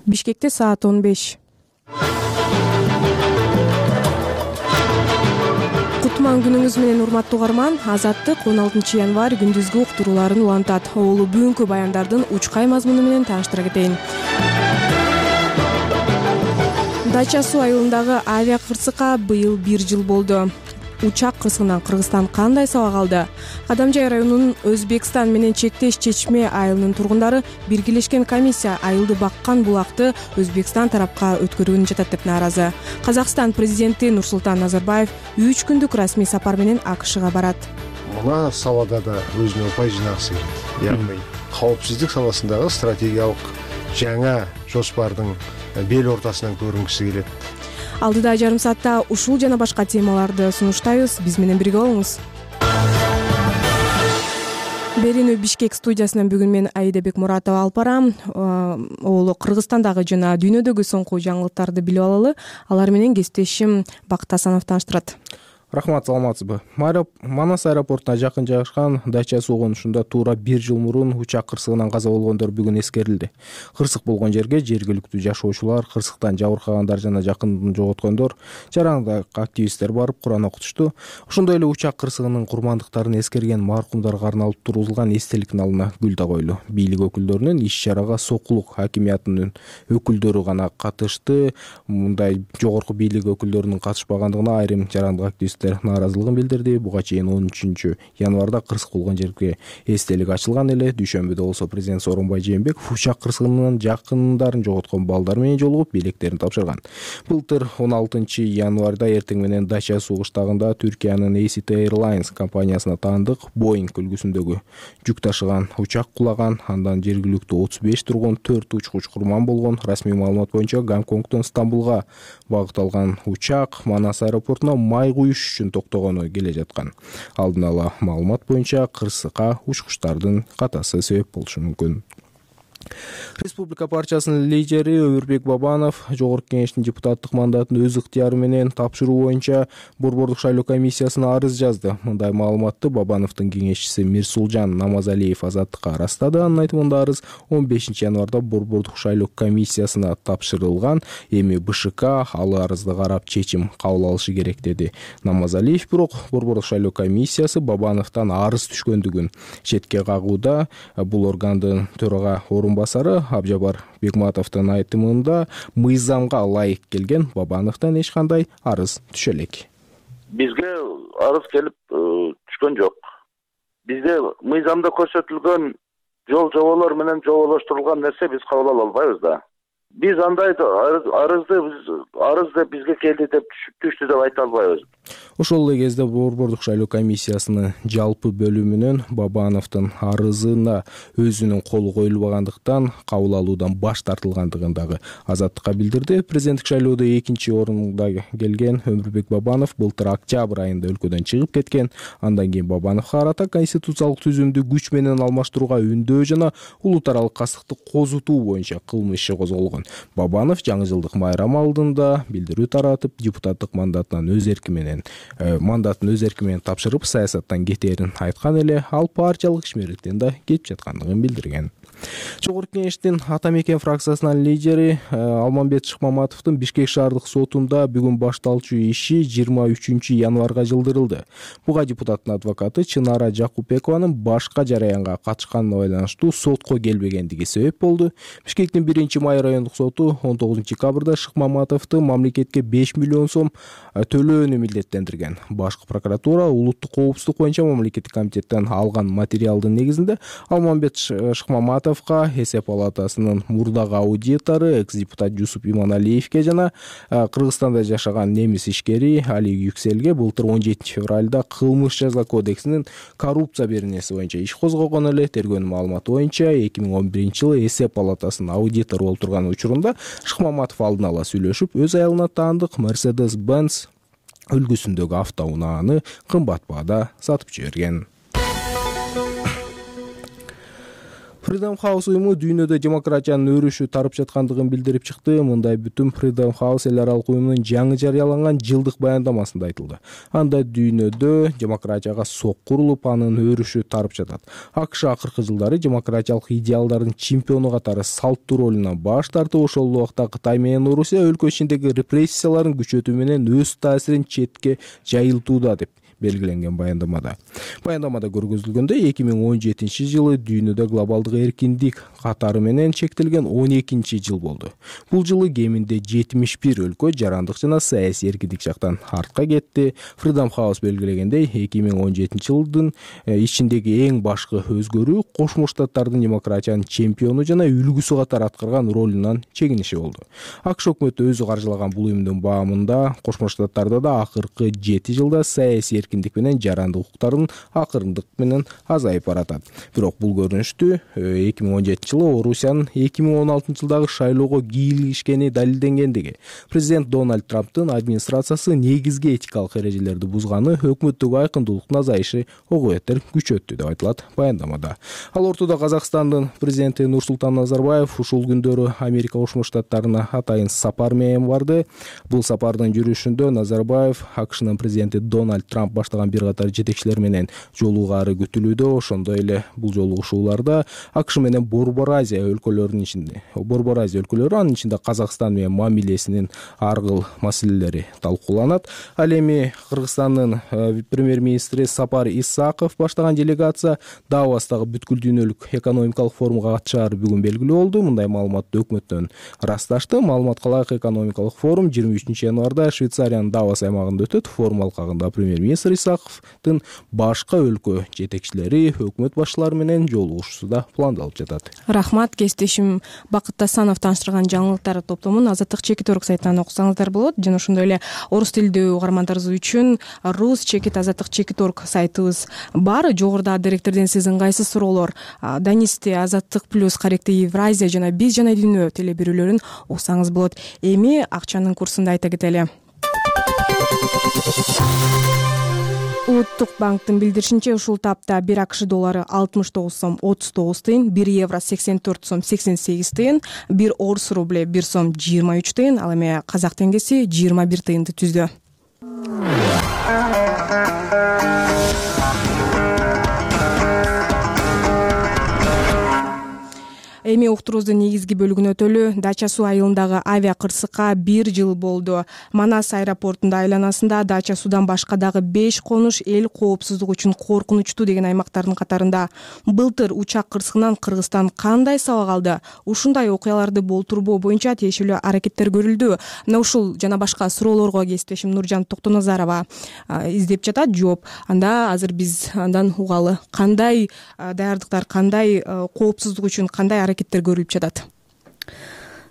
Бишкекте саат 15. Кутман күнүңүз менен урматтуу угарман. Азаттык 16 январь күндүзгү уктурууларын улантат. Оолу бүгүнкү баяндардын учкай мазмуну менен тааныштыра кетейин. Дача суу айылындагы авиа кырсыкка быйыл 1 жыл болду. Учак кырсыгынан Кыргызстан кандай сабак алды? Кадамжай районунун Өзбекстан менен чектеш Чечме айылынын тургундары биргелешкен комиссия айылды баккан булакты Өзбекстан тарапка өткөрүүнү жатат деп нааразы. Казакстан президенти Нурсултан Назарбаев 3 күндүк расмий сапар менен АКШга барат. Мына салада да өзүнө упай жинагысы келет. Яғни кооопсуздук саласындагы стратегиялык жаңа жоспардын бел ортасынан көрүнгүсү келет. Алдыда жарым саатта ушул жана башка темаларды сунуштайбыз. Биз менен бирге болуңуз. Берүүнү Бишкек студиясынан бүгүн мен Аида Бекмуратова алып барам. Оолу Кыргызстандагы жана дүйнөдөгү соңку жаңылыктарды билип алалы. Алар менен кесиптешим Бакыт Асанов тааныштырат. Рахмат, саламатсызбы? Манас аэропортуна жакын жайгашкан Дача суу конушунда туура 1 жыл мурун учак кырсыгынан каза болгондор бүгүн эскерилди. Кырсык болгон жерге жергиликтүү жашоочулар, кырсыктан жабыркагандар жана жакындын жоготкондор, жарандык активисттер барып Куран окутушту. Ошондой эле учак кырсыгынын курмандыктарын эскерген маркумдарга арналып тургузулган эстеликтин алдына гүл да коюлду. Бийлик өкүлдөрүнүн иш-чарага Сокулук хакимиятынын өкүлдөрү гана катышты. Мындай жогорку бийлик өкүлдөрүнүн катышпагандыгына айрым жарандык активисттер нааразылыгын билдирди. Буга чейин 13 январда кырсык болгон жерге эстелик ачылган эле. Дүйшөмбүдө болсо президент Сооронбай Жээнбеков учак кырсыгынын жакындарын жоготкон балдар менен жолугуп билектерин тапшырган. Былтыр 16 январда эртең менен Дача суу кыштагында Түркиянын ACT Airlines компаниясына таандык Boeing үлгүсүндөгү жүк ташыган учак кулаган. Андан жергиликтүү 35 тургун, 4 учкуч курман болгон. Расмий маалымат боюнча Гонконгдон Стамбулга багыт алган учак Манас аэропортуна май куюш үчүн токтогону келе жаткан. Алдын ала маалымат боюнча кырсыкка учкучтардын катасы себеп болушу мүмкүн. Республика партиясынын лидери Өмүрбек Бабанов жогорку кеңештин депутаттык мандатын өз ыктыяры менен тапшыруу боюнча Борбордук шайлоо комиссиясына арыз жазды. Мындай маалыматты Бабановдун кеңешчиси Мирсулжан Намазалиев Азаттыкка ырастады. Анын айтымында арыз 15 январда Борбордук шайлоо комиссиясына тапшырылган. Эми БШК ал арызды карап чечим кабыл алышы керек деди Намазалиев. Бирок Борбордук шайлоо комиссиясы Бабановдон арыз түшкөндүгүн четке кагууда. Бул органдын төрага орунбасары Абжабар Бекматовдун айтымында мыйзамга ылайык келген Бабановдон эч кандай арыз түшө элек. Бизге арыз келип түшкөн жок. Бизде мыйзамда көрсөтүлгөн жол жоболор менен жоболоштурулган нерсе биз кабыл ала албайбыз да. Биз андай арыз деп бизге келди деп түштү деп айта албайбыз. Ошол эле кезде Борбордук шайлоо комиссиясынын жалпы бөлүмүнөн Бабановдун арызына өзүнүн колу коюлбагандыктан кабыл алуудан баш тартылгандыгын дагы Азаттыкка билдирди. Президенттик шайлоодо 2-орунда келген Өмүрбек Бабанов былтыр октябрь айында өлкөдөн чыгып кеткен. Андан кийин Бабановго карата конституциялык түзүмдү күч менен алмаштырууга үндөө жана улут аралык кастыкты козутуу боюнча кылмыш иши козголгон. Бабанов жаңы жылдык майрам алдында билдирүү таратып, депутаттык мандатын өз эрки менен тапшырып, саясаттан кетээрин айткан эле, ал партиялык ишмерликтен да кетип жаткандыгын билдирген. Жогорку кеңештин Ата Мекен фракциясынын лидери Алмамбет Шыкмаматовдун Бишкек шаардык сотунда бүгүн башталчу иши 23 январга жылдырылды. Буга депутаттын адвокаты Чынара Жакупбекованын башка жараянга катышканына байланыштуу сотко келбегендиги себеп болду. Бишкектин 1-май райондук соту 19 декабрда Шыкмаматовду мамлекетке 5 миллион сом төлөөнү милдеттендирген. Башкы прокуратура улуттук коопсуздук боюнча мамлекеттик комитеттен алган материалдын негизинде Алмамбет Шыкмаматовго, эсеп палатасынын мурдагы аудитору экс-депутат Жусуп Иманалиевге жана Кыргызстанда жашаган немис ишкери Али Юкселге былтыр 17 февралда кылмыш жаза кодексинин коррупция беренеси боюнча иш козгогон эле. Тергөөнүн маалыматы боюнча 2011-жылы эсеп палатасынын аудитору болуп турган учурунда Шыкмаматов алдын ала сүйлөшүп, өз айылына таандык Mercedes-Benz үлгүсүндөгү автоунааны кымбат баада сатып жиберген. Freedom House уюму дүйнөдө демократиянын өрүшү тарып жаткандыгын билдирип чыкты. Мындай бүтүм Freedom House эл аралык уюмунун жаңы жарыяланган жылдык баяндамасында айтылды. Анда дүйнөдө демократияга сок курулуп, анын өрүшү тарып жатат. АКШ акыркы жылдары демократиялык идеалдардын чемпиону катары салттуу ролунан баш тартып, ошол убакта Кытай менен Орусия өлкө ичиндеги репрессияларын күчөтүү менен өз таасирин четке жайылтууда деп белгиленген баяндамада. Баяндамада көргөзүлгөндөй 2017-жылы дүйнөдө глобалдык эркиндик катары менен чектелген 12-жыл болду. Бул жылы кеминде 71 өлкө жарандык жана саясий эркиндик жактан артка кетти. Freedom House белгилегендей, 2017-жылдын ичиндеги эң башкы өзгөрүү Кошмо Штаттардын демократиянын чемпиону жана үлгүсү катары аткарган ролунан чегиниши болду. АКШ өкмөтү өзү каржылаган бул уюмдун баамында Кошмо Штаттарда да акыркы 7 жылда саясий эркиндик менен жарандык укуктардын акырындык менен азайып баратат. Бирок бул көрүнүштү 2017-жылы Орусиянын 2016-жылдагы шайлоого кийлигишкени далилденгендиги, президент Дональд Трамптын администрациясы негизги этикалык эрежелерди бузганы өкмөттөгү айкындуулуктун азайышы ого бетер күчөттү деп айтылат баяндамада. Ал ортодо Казакстандын президенти Нурсултан Назарбаев ушул күндөрү Америка Кошмо Штаттарына атайын сапар менен барды. Бул сапардын жүрүшүндө Назарбаев АКШнын президенти Дональд Трамп баштаган бир катар жетекчилер менен жолугаары күтүлүүдө. Ошондой эле бул жолугушууларда АКШ менен Борбор Азия өлкөлөрүнүн анын ичинде Казакстан менен мамилесинин ар кыл маселелери талкууланат. Ал эми Кыргызстандын премьер-министри Сапар Исаков баштаган делегация Давостагы бүткүл дүйнөлүк экономикалык форумга катышаары бүгүн белгилүү болду. Мындай маалыматты өкмөттөн ырасташты. Маалыматка ылайык, экономикалык форум 23-январда Швейцариянын Давос аймагында өтөт. Форум алкагында премьер-министр Исаковдун башка өлкө жетекчилери, өкмөт башчылары менен жолугушуусу да пландалып жатат. Рахмат, кесиптешим Бакыт Тасанов тааныштырган жаңылыктар топтомун Азаттык Чекит Орг сайтынан окусаңыздар болот. Жана ошондой эле орус тилдүү угармандарыбыз үчүн Рус Чекит Азаттык Чекит Орг сайтыбыз бар. Жогоруда директорден сиз ыңгайсыз суроолор, Данисти, Азаттык плюс, Каректи Евразия жана Биз жана дүйнө телебирүүлөрүн уксаңыз болот. Эми акчанын курсун да айта кетели. Улуттук банктын билдиришинче, ушул тапта 1 АКШ доллары 69 сом 39 тыйын, 1 евро 84 сом 88 тыйын, 1 орус рубле 1 сом 23 тыйын, ал эми казак теңгеси 21 тыйынды түздү. Эми уктурубуздун негизги бөлүгүнө өтөлү. Дача суу айылындагы авиа кырсыкка 1 жыл болду. Манас аэропортунда айланасында Дача суудан башка дагы 5 конуш эл коопсуздук үчүн коркунучтуу деген аймактардын катарында. Былтыр учак кырсыгынан Кыргызстан кандай сабак алды? Ушундай окуяларды болтурбоо боюнча тиешелүү аракеттер көрүлдү. Мына ушул жана башка суроолорго кесиптешим Нуржан Токтоназарова издеп жатат жооп. Анда азыр биз андан угалы. Кандай даярдыктар, кандай коопсуздук үчүн кандай аракеттер көрүлүп жатат?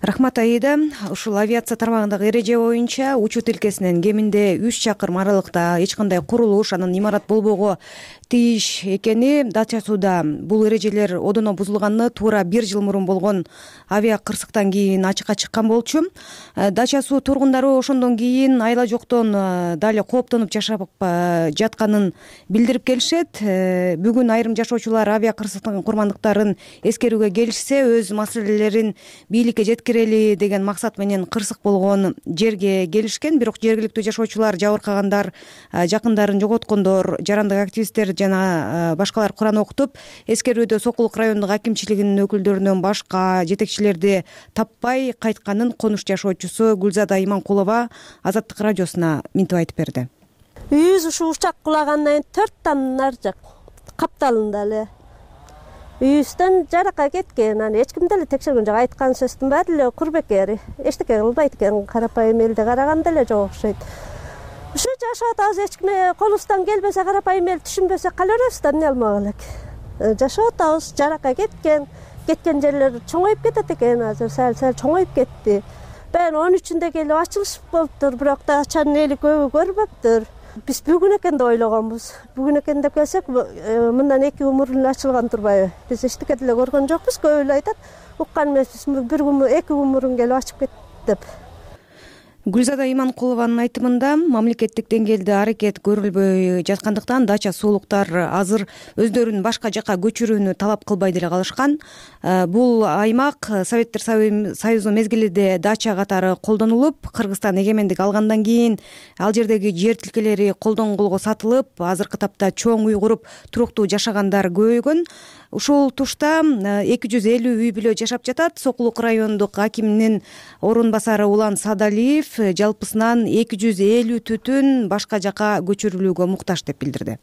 Рахмат Аида. Ушул авиация тармагындагы эреже боюнча учут илкесинен кеминде 3 чакырым аралыкта эч кандай курулуш, анын имарат болбого тийиш экени Дача сууда бул эрежелер одоно бузулганына туура 1 жыл мурун болгон авиа кырсыктан кийин ачыкка чыккан болчу. Дача суу тургундары ошондон кийин айла жоктон дали кооптонуп жашап жатканын билдирип келишет. Бүгүн айрым жашоочулар авиа кырсыктын курмандыктарын эскерүүгө келишсе, өз маселелерин бийликке жеткирели деген максат менен кырсык болгон жерге келишкен. Бирок жергиликтүү жашоочулар, жабыркагандар, жакындарын жоготкондор, жарандык активисттер жана башкалар Куран окутуп, эскерүүдө Сокулук райондук акимчилигинин өкүлдөрүнөн башка жетекчилерди таппай кайтканын конуш жашоочусу Гүлзада Иманкулова Азаттык радиосуна минтип айтып берди. Үйүбүз ушу учак кулагандан 4 тан ар жак капталында эле үйүбүздөн жаракка кеткен. Аны эч ким деле текшерген жок. Айткан сөздүн баары эле курбекер. Эчтеке кылбайт экен, карапайым элди караганда эле жок окшойт. Ушу жашап атабыз, эч ким колубуздан келбесе, карапайым эл түшүнбөсө кала беребиз да, эмне алмак элек. Жашап атабыз, жаракка кеткен жерлер чоңоюп кетет экен. Азыр сәл чоңоюп кетти. Баягы 13-үндөй келип ачылыш болуптур, бирок да ачанын эли көбү көрбөптүр. Биз бүгүн экен деп ойлогонбуз. Бүгүн экен деп келсек, мындан 2 умурун ачылган турбайбы? Биз эчтеке деле көргөн жокпуз. Көп эле айтат, уккан эмеспиз, 1 2 умурун келип ачып кетти деп. Гүлзада Иманкулованын айтымында мамлекеттик деңгээлде аракет көрүлбөй жаткандыктан дача суулуктар азыр өздөрүн башка жака көчүрүүнү талап кылбай деле калышкан. Бул аймак Советтер Союзу мезгилинде дача катары колдонулуп, Кыргызстан эгемендик алгандан кийин ал жердеги жер тилкелери колдон колго сатылып, азыркы тапта чоң үй куруп туруктуу жашагандар көбөйгөн. Ушул тушта 250 үй бүлө жашап жатат. Сокулук райондук акиминин орун басары Улан Садалиев жалпысынан 250 түтүн башка жака көчүрүлүүгө муктаж деп билдирди.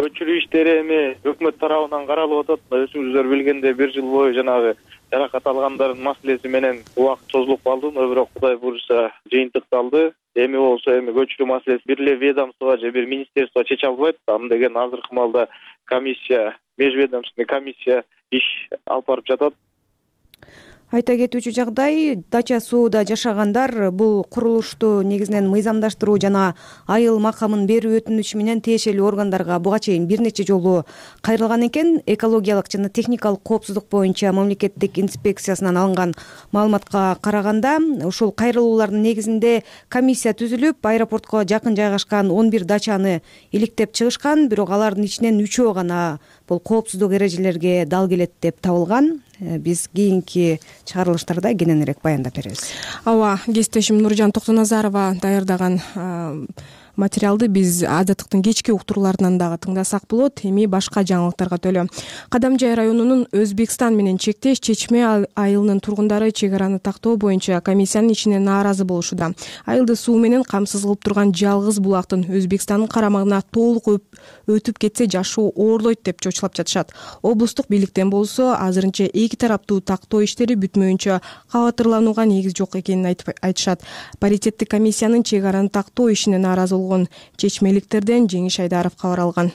Көчүрүү иштери эми өкмөт тарабынан каралып атат. Өзүңүздөр билгендей 1 жыл бою жанагы жаракат алгандардын маселеси менен убакыт созулуп калды, бирок Кудай буйруса жыйынтыкталды. Эми болсо көчүрүү маселеси бир эле ведомство же бир министерство чече албайт. Аны деген азыркы маалда комиссия, межведомственный комиссия иш алып барып жатат. Айта кетүүчү жагдай, дача сууда жашагандар бул курулушту негизинен мыйзамдаштыруу жана айыл макамын берүү өтүнүчү менен тиешелүү органдарга буга чейин бир нече жолу кайрылган экен. Экологиялык жана техникалык коопсуздук боюнча мамлекеттик инспекциясынан алынган маалыматка караганда, ушул кайрылуулардын негизинде комиссия түзүлүп, аэропортко жакын жайгашкан 11 дачаны иликтеп чыгышкан, бирок алардын ичинен 3-өө гана бул коопсуздук эрежелерге дал келет деп табылган. Биз кийинки чыгарылыштарда кененирээк баяндап беребиз. Ооба, кесиптешим Нуржан Токтоназарова даярдаган материалды биз Азаттыктын кечки уктурууларынан дагы тыңдасак болот. Эми башка жаңылыктарга төлөө. Кадамжай районунун Өзбекстан менен чектеш Чечме айылынын тургундары чек араны тактоо боюнча комиссиянын ичине нааразы болушууда. Айылды суу менен камсыз кылып турган жалгыз булактын Өзбекстандын карамагына толук өтүп кетсе жашоо оорлойт деп чочулап жатышат. Облустук бийликтен болсо азырынча эки тараптуу тактоо иштери бүтмөйүнчө кабатырланууга негиз жок экенин айтышат. Паритеттик комиссиянын чек араны тактоо ишине нааразы болгон чечмеликтерден Жеңиш Айдаров кабар алган.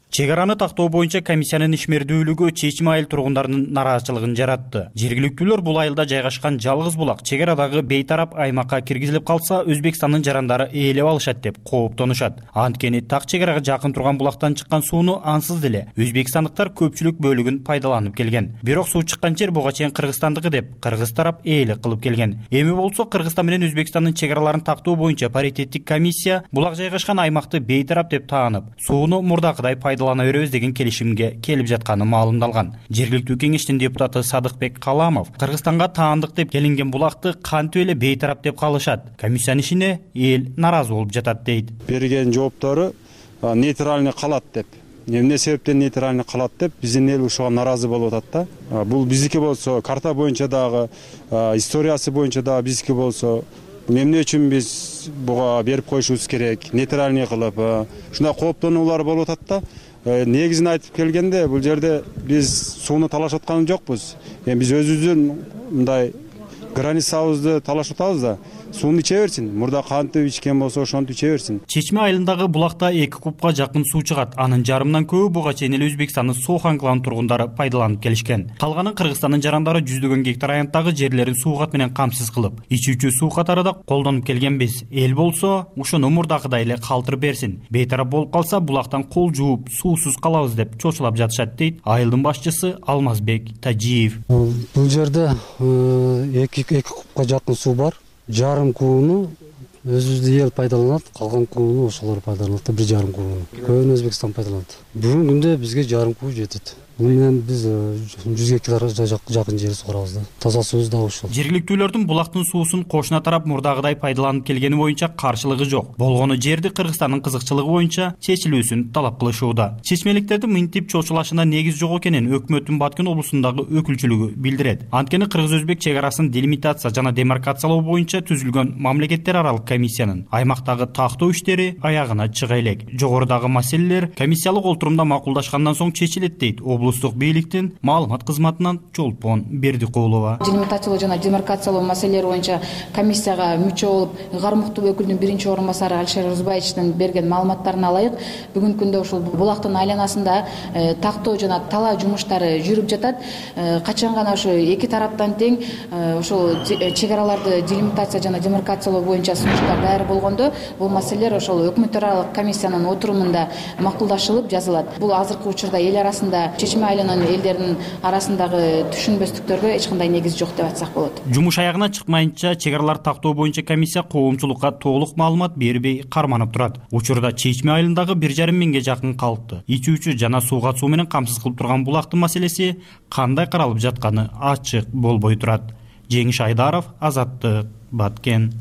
Чек араны тактоо боюнча комиссиянын ишмердүүлүгү Чечме айыл тургундарынын нараазычылыгын жаратты. Жергиликтүүлөр бул айылда жайгашкан жалгыз булак чек арадагы бейтарап аймакка киргизилип калса, Өзбекстандын жарандары ээлеп алышат деп кооптонушат. Анткени так чек арага жакын турган булактан чыккан сууну ансыз деле өзбекстандыктар көпчүлүк бөлүгүн пайдаланып келген. Бирок суу чыккан жер буга чейин Кыргызстандыкы деп кыргыз тарап ээлик кылып келген. Эми болсо Кыргызстан менен Өзбекстандын чек араларын тактоо боюнча паритеттик комиссия булак жайгашкан аймакты бейтарап деп таанып, сууну мурдакыдай пайдалана беребиз деген келишимге келип жатканы маалымдалган. Жергиликтүү кеңештин депутаты Садыкбек Каламов Кыргызстанга таандык деп келинген булакты кантип эле бейтарап деп калышат. Комиссиянын ишине эл наразы болуп жатат дейт. Берген жооптору нейтральный калат деп. Эмне себептен нейтральный калат деп биздин эл ушуга наразы болуп атат да. Бул биздики болсо карта боюнча дагы, историясы боюнча дагы биздики болсо эмне үчүн биз буга берип коюшубуз керек, нейтральный кылып, ушундай кооптонуулар болуп атат да. Негизин айтып келгенде бул жерде биз сууну талашып аткан жокпуз. Биз өзүбүздүн мындай границабызды талашып атабыз да. Сууну иче берсин. Мурда кантип ичкен болсо ошонтип иче берсин. Чечме айылындагы булакта 2 кубка жакын суу чыгат. Анын жарымынан көбү буга чейин эле Өзбекстандын Сохан клан тургундары пайдаланып келишкен. Калганын Кыргызстандын жарандары жүздөгөн гектар аянттагы жерлерин суугат менен камсыз кылып, ичүүчү суу катары да колдонуп келгенбиз. Эл болсо ушуну мурдакыдай эле калтырып берсин. Бейтарап болуп калса булактан кол жууп, суусуз калабыз деп чочулап жатышат дейт айылдын башчысы Алмазбек Тажиев. Бул жерде 2 кубка жакын суу бар. Жарым кубуну өзүбүздүн эл пайдаланат, калган кубуну ошолор пайдаланат, 1,5 кубуну. Көбүн Өзбекстан пайдаланат. Бүгүнкү күндө бизге жарым куб жетет. Муну менен биз 100 гектар жакын жер сугарабыз да. Таза суубуз да ушул. Жергиликтүүлөрдүн булактын суусун кошуна тарап мурдагыдай пайдаланып келгени боюнча каршылыгы жок. Болгону жерди Кыргызстандын кызыкчылыгы боюнча чечилүүсүн талап кылышууда. Чечмеликтердин мынтип чочулашына негиз жок экенин өкмөттүн Баткен облусундагы өкүлчүлүгү билдирет. Анткени кыргыз-өзбек чек арасын делимитация жана демаркациялоо боюнча түзүлгөн мамлекеттер аралык комиссиянын аймактагы тактоо иштери аягына чыга элек. Жогорудагы маселелер комиссиялык олтурумда макулдашкандан соң чечилет дейт облустук бийликтин маалымат кызматынан Чолпон Бердикулова. Делимитациялоо жана демаркациялоо маселелери боюнча комиссияга мүчө болуп, Гармуктуу өкүлдүн 1-чи орун басары Алишер Рузбаевичтин берген маалыматтарына ылайык, бүгүнкү күндө ушул булактын айланасында тактоо жана талаа жумуштары жүрүп жатат. Качан гана ошо эки тараптан тең ошол чек араларды делимитация жана демаркациялоо боюнча сунуштар даяр болгондо, бул маселелер ошол өкмөт аралык комиссиянын отурумунда макулдашылып жазылат. Бул азыркы учурда эл арасында чечме чечме айылынын элдеринин арасындагы түшүнбөстүктөргө эч кандай негиз жок деп айтсак болот. Жумуш аягына чыкмайынча чек аралар тактоо боюнча комиссия коомчулукка толук маалымат бербей карманып турат. Учурда чечме айылындагы 1,5 миңге жакын калкты ичүүчү жана сууга суу менен камсыз кылып турган булактын маселеси кандай каралып жатканы ачык болбой турат. Жеңиш Айдаров, Азаттык, Баткен.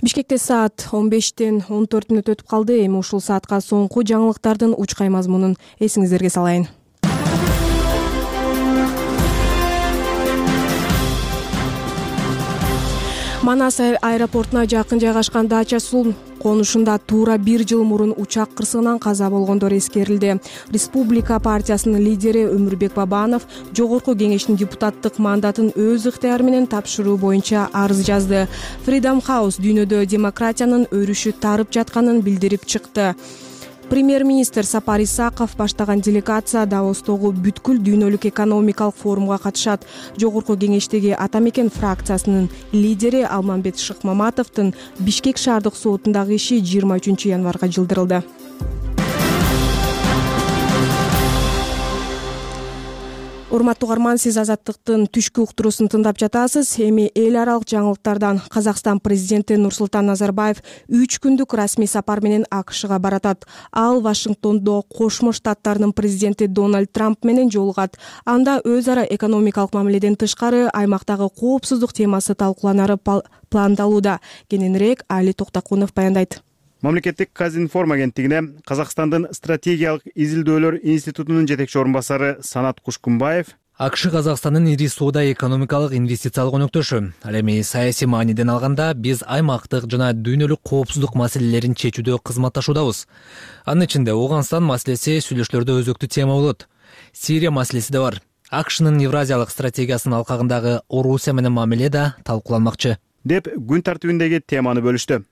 Бишкекте саат 15-14 өтүп калды. Эми ушул саатка соңку жаңылыктардын учкай мазмунун эсиңиздерге салайын. Манас аэропортуна жакын жайгашкан дача суу конушунда туура 1 жыл мурун учак кырсыгынан каза болгондор эскерилди. Республика партиясынын лидери Өмүрбек Бабанов жогорку кеңештин депутаттык мандатын өз ыктыяры менен тапшыруу боюнча арыз жазды. Freedom House дүйнөдө демократиянын өрүшү тарып жатканын билдирип чыкты. Премьер-министр Сапар Исаков баштаган делегация Давостогу бүткүл дүйнөлүк экономикалык форумга катышат. Жогорку кеңештеги Ата Мекен фракциясынын лидери Алмамбет Шыкмаматовдун Бишкек шаардык сотундагы иши 23 январга жылдырылды. Урматтуу угарман, сиз Азаттыктын түшкү уктуруусун тыңдап жатасыз. Эми эл аралык жаңылыктардан Казакстан президенти Нурсултан Назарбаев 3 күндүк расмий сапар менен АКШга баратат. Ал Вашингтондо Кошмо Штаттарынын президенти Дональд Трамп менен жолугат. Анда өз ара экономикалык мамиледен тышкары аймактагы коопсуздук темасы талкууланары пландалууда. Кененирээк Али Токтакунов баяндайт. Мамлекеттик Казинформ агенттигине Казакстандын стратегиялык изилдөөлөр институтунун жетекчи орун басары Санат Кушкунбаев АКШ Казакстандын ири соода экономикалык инвестициялык өнөктөшү. Ал эми саясий мааниден алганда биз аймактык жана дүйнөлүк коопсуздук маселелерин чечүүдө кызматташуудабыз. Анын ичинде Ооганстан маселеси сүйлөшүүлөрдө өзөктүү тема болот. Сирия маселеси да бар. АКШнын Евразиялык стратегиясынын алкагындагы Орусия менен мамиле да талкууланмакчы деп күн тартибиндеги теманы бөлүштү.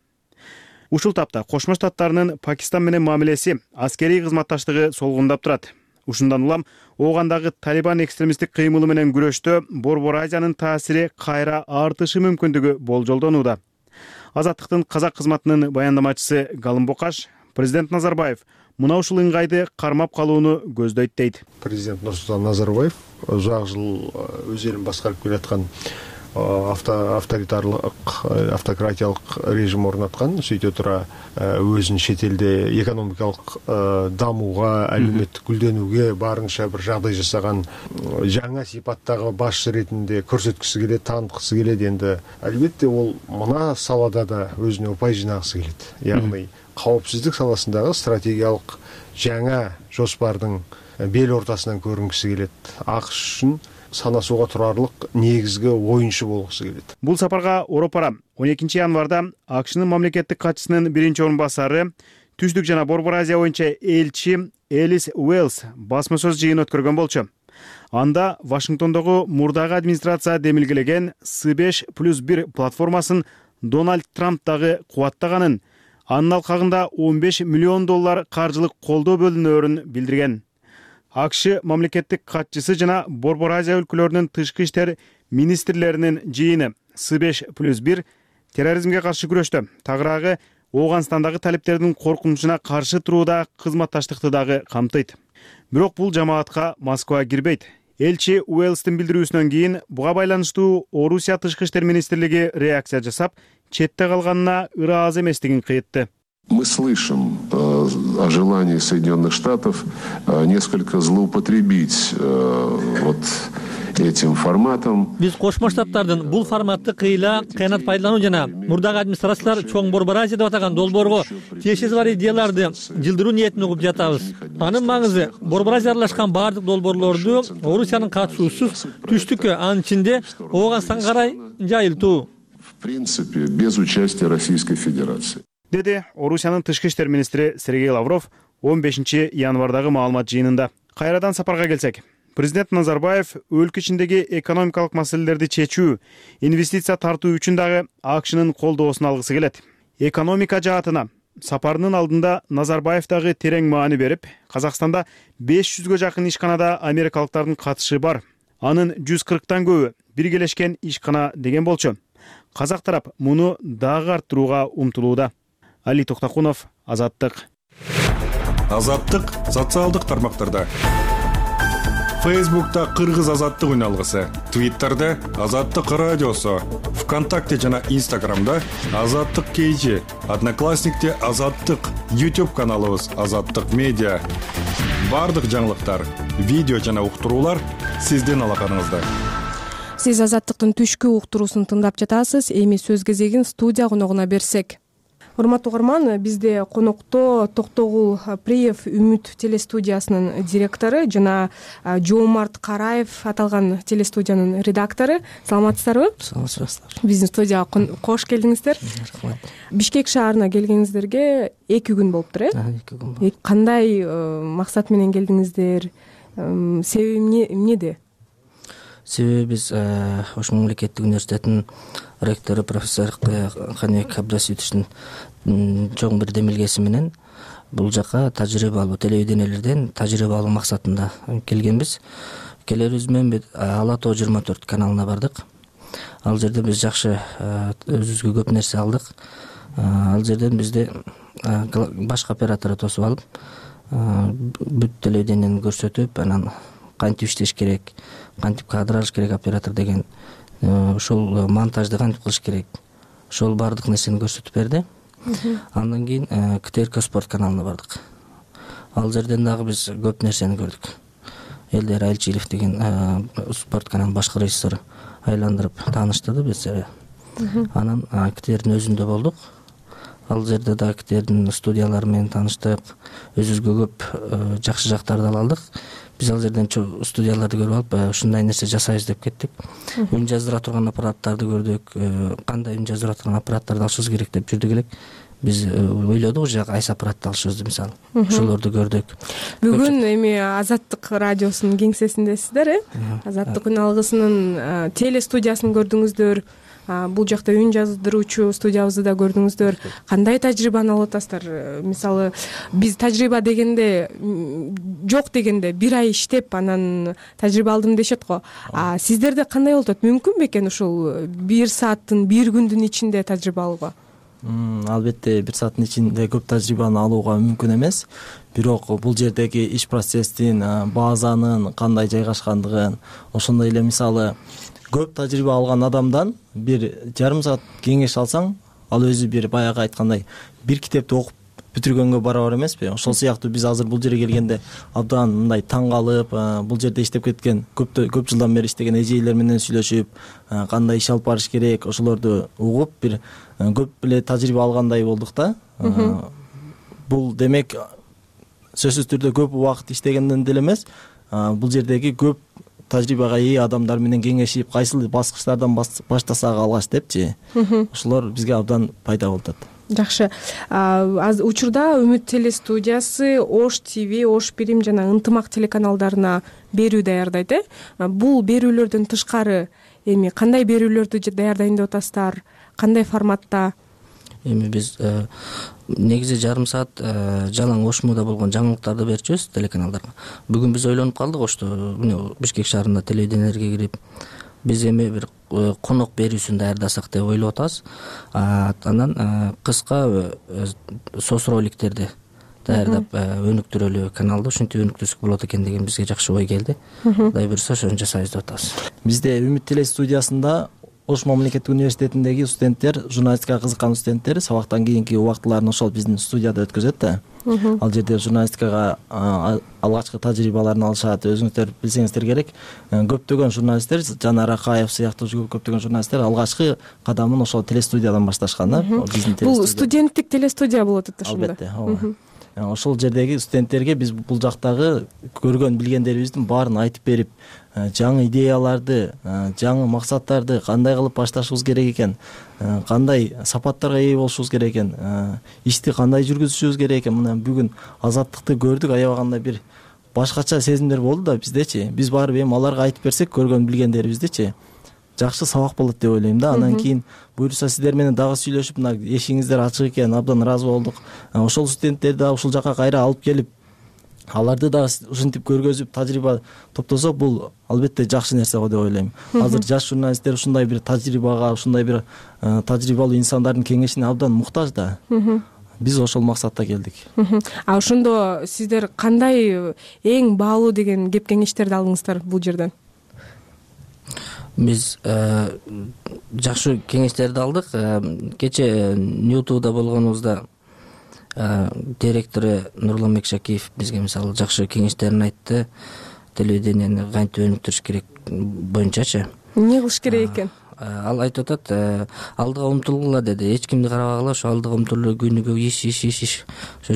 Ушул тапта Кошмо Штаттарынын Пакистан менен мамилеси, аскерий кызматташтыгы солгундап турат. Ушундан улам Оогандагы Талибан экстремисттик кыймылы менен күрөштө Борбор Азиянын таасири кайра артышы мүмкүндүгү болжолдонууда. Азаттыктын казак кызматынын баяндамачысы Галым Бокаш президент Назарбаев мына ушул ыңгайды кармап калууну көздөйт дейт. Президент Нурсултан Назарбаев узак жыл өз элин башкарып келаткан авторитарлык, автократиялык режим орнаткан, сөйте тура өзүн чет элде экономикалык дамууга, әлеуметтик гүлдөнүүгө барынча бир жагдай жасаган жаңа сипаттагы башчы ретинде көрсөткүсү келет, тааныткысы келет. Энди албетте ол мына салада да өзүнө упай жинагысы келет. Яғни коопсуздук саласындагы стратегиялык жаңа жоспардын бел ортасынан көрүнгүсү келет. АКШ үчүн санасууга турарлык негизги оюнчу болгусу келет. Бул сапарга Оропара 12 январда АКШнын мамлекеттик катчысынын биринчи орун басары, Түштүк жана Борбор Азия боюнча элчи Элис Уэллс басма сөз жыйын өткөргөн болчу. Анда Вашингтондогу мурдагы администрация демилгелеген С5+1 платформасын Дональд Трамп дагы кубаттаганын, анын алкагында $15 миллион каржылык колдоо бөлүнөөрүн билдирген. АКШ мамлекеттик катчысы жана Борбор Азия өлкөлөрүнүн тышкы иштер министрлеринин жыйыны С5+1 терроризмге каршы күрөштө, тагыраагы Ооганстандагы талиптердин коркунучуна каршы турууда кызматташтыкты дагы камтыйт. Бирок бул жамаатка Москва кирбейт. Элчи Уэллстин билдирүүсүнөн кийин буга байланыштуу Орусия тышкы иштер министрлиги реакция жасап, четте калганына ыраазы эместигин кыйтты. Мы слышим о желании Соединенных Штатов несколько злоупотребить этим форматом. Биз Кошмо Штаттардын бул форматты кыйла кыянат пайдалануу жана мурдагы администрациялар чоң Борбор Азия деп атаган долбоорго тиешеси бар идеяларды жылдыруу ниетин угуп жатабыз. Анын маңызы Борбор Азия аралашкан бардык долбоорлорду Орусиянын катышуусуз түштүккө, анын ичинде Ооганстанга карай жайылтуу. В принципе, без участия Российской Федерации. Деди Орусиянын тышкы иштер министри Сергей Лавров 15 январдагы маалымат жыйынында. Кайрадан сапарга келсек, президент Назарбаев өлкө ичиндеги экономикалык маселелерди чечүү, инвестиция тартуу үчүн дагы АКШнын колдоосун алгысы келет. Экономика жаатына сапарынын алдында Назарбаев дагы терең маани берип, Казакстанда 500гө жакын ишканада америкалыктардын катышы бар. Анын 140тан көбү биргелешкен ишкана деген болчу. Казак тарап муну дагы арттырууга умтулууда. Али Токтакунов, Азаттык. Азаттык социалдык тармактарда. Фейсбукта Кыргыз азаттык үн алгысы, Твиттерде Азаттык радиосу, ВКонтакте жана Инстаграмда Азаттык KG, Одноклассникте Азаттык, YouTube каналыбыз Азаттык медиа. Бардык жаңылыктар, видео жана уктуруулар сиздин алаканыңызда. Сиз Азаттыктын түшкү уктуруусун тыңдап жатасыз. Эми сөз кезегин студия коногуна берсек. Урматтуу угарман, бизде конокто Токтогул Приев Үмүт телестудиясынын директору жана Жоомарт Караев аталган телестудиянын редактору. Саламатсыздарбы? Саламатсыздар. Биздин студияга кош келдиңиздер. Рахмат. Бишкек шаарына келгениңиздерге 2 күн болуптур, 2 күн болду. Кандай максат менен келдиңиздер? Себеби эмнеде? Себеби биз Ош мамлекеттик университетинин ректору профессор Каныбек Абдраситовичтин чоң бир демилгеси менен бул жака тажрыйбалуу телевидениелерден тажрыйбалуу максатында келгенбиз. Келерибиз менен Ала Тоо 24 каналына бардык. Ал жерде биз жакшы өзүбүзгө көп нерсе алдык. Ал жерден бизди башка оператор тосуп алып, бүт телевидениени көрсөтүп, анан кантип иштеш керек, кантип кадр алыш керек оператор деген, ошол монтажды кантип кылыш керек, ошол баардык нерсени көрсөтүп берди. Андан кийин КТРК спорт каналына бардык. Ал жерден дагы биз көп нерсени көрдүк. Элдер Айлчиев деген спорт каналынын башкы режиссеру айландырып тааныштырды бизди. Анан КТРдин өзүндө болдук. Ал жерде да КТРдин студиялары менен тааныштык, өзүбүзгө көп жакшы жактарды ала алдык. Биз ал жерден студияларды көрүп алып, ушундай нерсе жасайбыз деп кеттик. Үн жаздыра турган аппараттарды көрдүк, кандай үн жаздыра турган аппараттарды алышыбыз керек деп жүрдүк элек. Биз ойлодук уже кайсы аппаратты алышыбызды, мисалы. Ошолорду көрдүк. Бүгүн эми Азаттык радиосунун кеңсесиндесиздер, Азаттык үн алгысынын телестудиясын көрдүңүздөр. Бул жакта үн жаздыруучу студиябызды да көрдүңүздөр. Кандай тажрыйбаны алып атасыздар? Мисалы, биз тажрыйба дегенде жок дегенде 1 ай иштеп, анан тажрыйба алдым дешет го. Сиздерде кандай болуп атат? Мүмкүн бекен ушул 1 сааттын, 1 күндүн ичинде тажрыйба алууга? Албетте 1 сааттын ичинде көп тажрыйбаны алууга мүмкүн эмес. Бирок бул жердеги иш процесстин, базанын кандай жайгашкандыгын, ошондой эле мисалы көп тажрыйба алган адамдан 1,5 саат кеңеш алсаң, ал өзү бир баягы айткандай бир китепти окуп бүтүргөнгө барабар эмеспи? Ошол сыяктуу биз азыр бул жерге келгенде абдан мындай таң калып, бул жерде иштеп кеткен, көп жылдан бери иштеген эжейлер менен сүйлөшүп, кандай иш алып барыш керек, ошолорду угуп, бир көп эле тажрыйба алгандай болдук да. Бул демек сөзсүз түрдө көп убакыт иштегенден деле эмес, бул жердеги көп тажрыйбага ээ адамдар менен кеңешип, кайсы баскычтардан баштасак алгач депчи, ошолор бизге абдан пайда болуп атат. Жакшы. Учурда Үмүт телестудиясы Ош ТВ, Ош Бирим жана Ынтымак телеканалдарына берүү даярдайт. Бул берүүлөрдөн тышкары эми кандай берүүлөрдү даярдайын деп атасыздар? Кандай форматта? Эми биз негизи 1,5 саат жалаң Ошмуда болгон жаңылыктарды берчүбүз телеканалдарга. Бүгүн биз ойлонуп калдык Ошто, Бишкек шаарында телевидениелерге кирип, биз эми бир конок берүүсүн даярдасак деп ойлоп атабыз. Анан кыска соц роликтерди даярдап өнүктүрөлү каналды, ушинтип өнүктүрсөк болот экен деген бизге жакшы ой келди. Кудай буйруса ошону жасайбыз деп атабыз. Бизде Үмүт телестудиясында Ош мамлекеттик университетиндеги студенттер, журналистикага кызыккан студенттер сабактан кийинки убактыларын ошол биздин студияда өткөзөт да. Ал жерде журналистикага алгачкы тажрыйбаларын алышат. Өзүңүздөр билсеңиздер керек, көптөгөн журналисттер, Жанар Акаев сыяктуу көптөгөн журналисттер алгачкы кадамын ошол телестудиядан башташкан да. Бул студенттик телестудия болот ошондо. Албетте, ооба. Ошол жердеги студенттерге биз бул жактагы көргөн билгендерибиздин баарын айтып берип, жаңы идеяларды, жаңы максаттарды кандай кылып башташыбыз керек экен, кандай сапаттарга ээ болушубуз керек экен, ишти кандай жүргүзүшүбүз керек экен. Мына бүгүн Азаттыкты көрдүк, аябагандай бир башкача сезимдер болду да биздечи. Биз барып эми аларга айтып берсек, көргөн билгендерибиздичи, жакшы сабак болот деп ойлойм да. Андан кийин буюрса сиздер менен дагы сүйлөшүп, мына эшигиңиздер ачык экен, абдан ыраазы болдук. Ошол студенттерди дагы ушул жака кайра алып келип, аларды дагы ушинтип көргөзүп, тажрыйба топтосок, бул албетте жакшы нерсе го деп ойлойм. Азыр жаш журналисттер ушундай бир тажрыйбага, ушундай бир тажрыйбалуу инсандардын кеңешине абдан муктаж да. биз ошол максатта келдик. А ошондо сиздер кандай эң баалуу деген кеп кеңештерди алдыңыздар бул жерден? Биз жакшы кеңештерди алдык. Кече Ньютуда болгонубузда директору Нурлан Мекшакиев бизге мисалы жакшы кеңештерин айтты. Телевидениени кантип өнүктүрүш керек боюнчачы. Эмне кылыш керек экен? Ал айтып атат, алдыга умтулгула деди. Эч кимди карабагыла, ошо алдыга умтулуп күнүгө иш. Ошо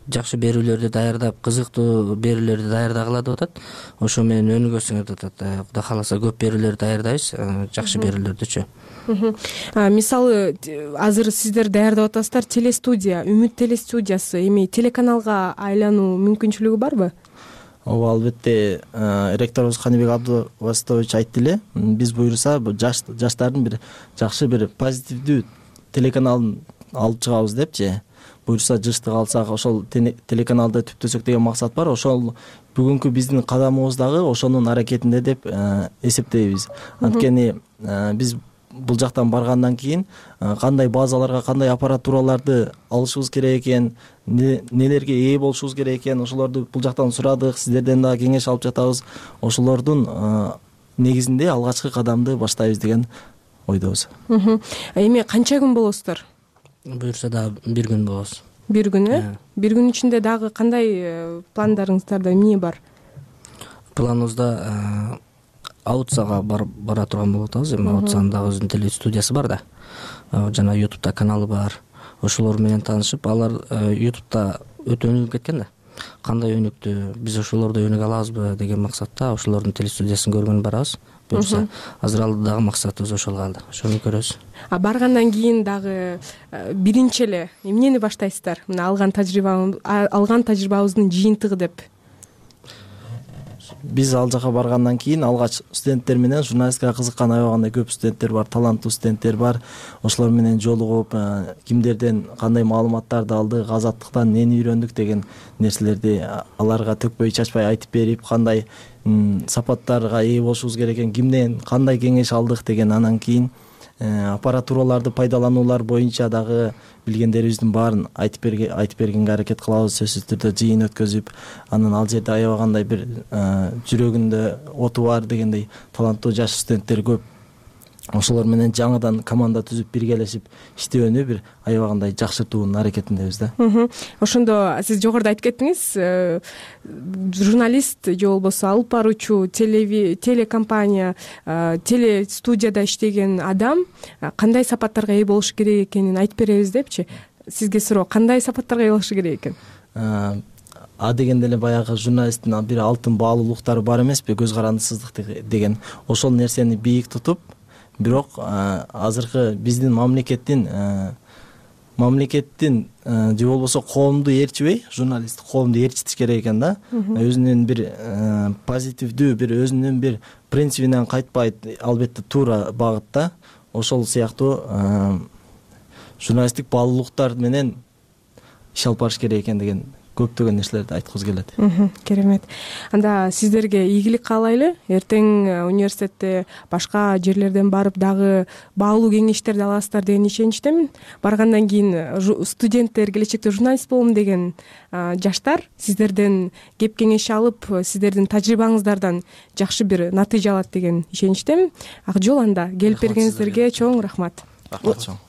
жакшы берүүлөрдү даярдап, кызыктуу берүүлөрдү даярдагыла деп атат. Ошо менен өнүгөсүңөр деп атат. Кудай кааласа көп берүүлөр даярдайбыз, жакшы берүүлөрдүчү. Мисалы азыр сиздер даярдап атасыздар телестудия, Үмүт телестудиясы, эми телеканалга айлануу мүмкүнчүлүгү барбы? Ооба, албетте, ректорубуз Каныбек Абдуваситович айтты эле, биз буюрса жаштардын бир жакшы бир позитивдүү телеканалын алып чыгабыз депчи. Буюрса жыштык алсак, ошол телеканалды түптөсөк деген максат бар. Ошол бүгүнкү биздин кадамыбыз дагы ошонун аракетинде деп эсептейбиз. Анткени биз бул жактан баргандан кийин кандай базаларга, кандай аппаратураларды алышыбыз керек экен, нелерге ээ болушубуз керек экен, ошолорду бул жактан сурадык, сиздерден дагы кеңеш алып жатабыз. Ошолордун негизинде алгачкы кадамды баштайбыз деген ойдобуз. Эми канча күн болосуздар? Буюрса дагы бир күн болобуз. Бир күн, Бир күн ичинде дагы кандай пландарыңыздарда эмне бар? Планыбызда Аутсага бара турган болуп атабыз. Эми Аутсанын дагы өзүнүн телестудиясы бар да. Жана YouTube'да каналы бар. Ошолор менен таанышып, алар YouTube'да өтө өнүгүп кеткен да. Кандай өнүктү, биз ошолордой өнүгө алабызбы деген максатта ошолордун телестудиясын көргөнү барабыз. Буюрса азыр алдыдагы максатыбыз ошол калды. Ошону көрөбүз. Баргандан кийин дагы биринчи эле эмнени баштайсыздар? Мына алган тажрыйбабыздын жыйынтыгы деп. Биз ал жака баргандан кийин алгач студенттер менен журналистикага кызыккан аябагандай көп студенттер бар, таланттуу студенттер бар. Ошолор менен жолугуп, кимдерден кандай маалыматтарды алдык, азаттыктан эмнени үйрөндүк деген нерселерди аларга төкпөй чачпай айтып берип, кандай сапаттарга ээ болушубуз керек экен, кимден кандай кеңеш алдык деген, анан кийин аппаратураларды пайдалануулар боюнча дагы билгендерибиздин баарын айтып бергенге аракет кылабыз. Сөзсүз түрдө жыйын өткөзүп, анан ал жерде аябагандай бир жүрөгүндө оту бар дегендей таланттуу жаш студенттер көп. Ошолор менен жаңыдан команда түзүп, биргелешип иштөөнү бир аябагандай жакшыртуунун аракетиндебиз да. Ошондо сиз жогоруда айтып кеттиңиз, журналист же болбосо алып баруучу телекомпания, телестудияда иштеген адам кандай сапаттарга ээ болушу керек экенин айтып беребиз депчи. Сизге суроо, кандай сапаттарга ээ болушу керек экен? Дегенде эле баягы журналисттин бир алтын баалуулуктары бар эмеспи, көз карандысыздык деген. Ошол нерсени бийик тутуп, бирок азыркы биздин мамлекеттин же болбосо коомду ээрчибей, журналист коомду ээрчитиш керек экен да. Өзүнүн бир позитивдүү, бир өзүнүн бир принцибинен кайтпай, албетте туура багытта. Ошол сыяктуу журналисттик баалуулуктар менен иш алып барыш керек экен деген көптөгөн нерселерди айткыбыз келет. Керемет. Анда сиздерге ийгилик каалайлы. Эртең университетте башка жерлерден барып дагы баалуу кеңештерди аласыздар деген ишеничтемин. Баргандан кийин студенттер, келечекте журналист болом деген жаштар сиздерден кеп кеңеш алып, сиздердин тажрыйбаңыздардан жакшы бир натыйжа алат деген ишеничтемин. Ак жол анда. Келип бергениңиздерге чоң рахмат. Рахмат чоң.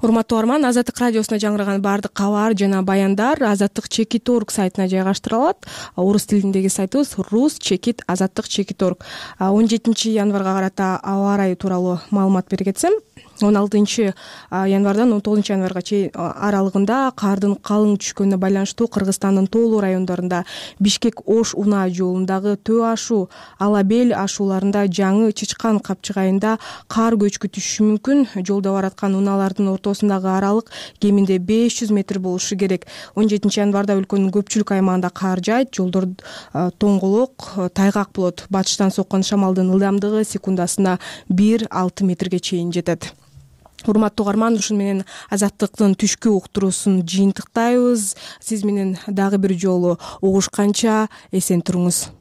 Урматтуу угарман, Азаттык радиосуна жаңыраган баардык кабар жана баяндар azattik.org сайтына жайгаштырылат. Орус тилиндеги сайтыбыз rus.azattik.org. 17 январга карата аба ырайы тууралуу маалымат бере кетсем, 16 январдан 19 январга чейин аралыгында кардын калың түшкөнүнө байланыштуу Кыргызстандын тоолуу райондорунда Бишкек-Ош унаа жолундагы Төө ашуу, Алабел ашууларында жаңы Чычкан капчыгайында кар көчкү түшүшү мүмкүн. Жолдо бараткан унаалардын ортосундагы аралык кеминде 500 метр болушу керек. 17 январда өлкөнүн көпчүлүк аймагында кар жаайт, жолдор тоңголок, тайгак болот. Батыштан соккон шамалдын ылдамдыгы секундасына 1-6 метрге чейин жетет. Урматтуу угарман, ушун менен Азаттыктын түшкү уктуруусун жыйынтыктайбыз. Сиз менен дагы бир жолу угушканча эсен туруңуз.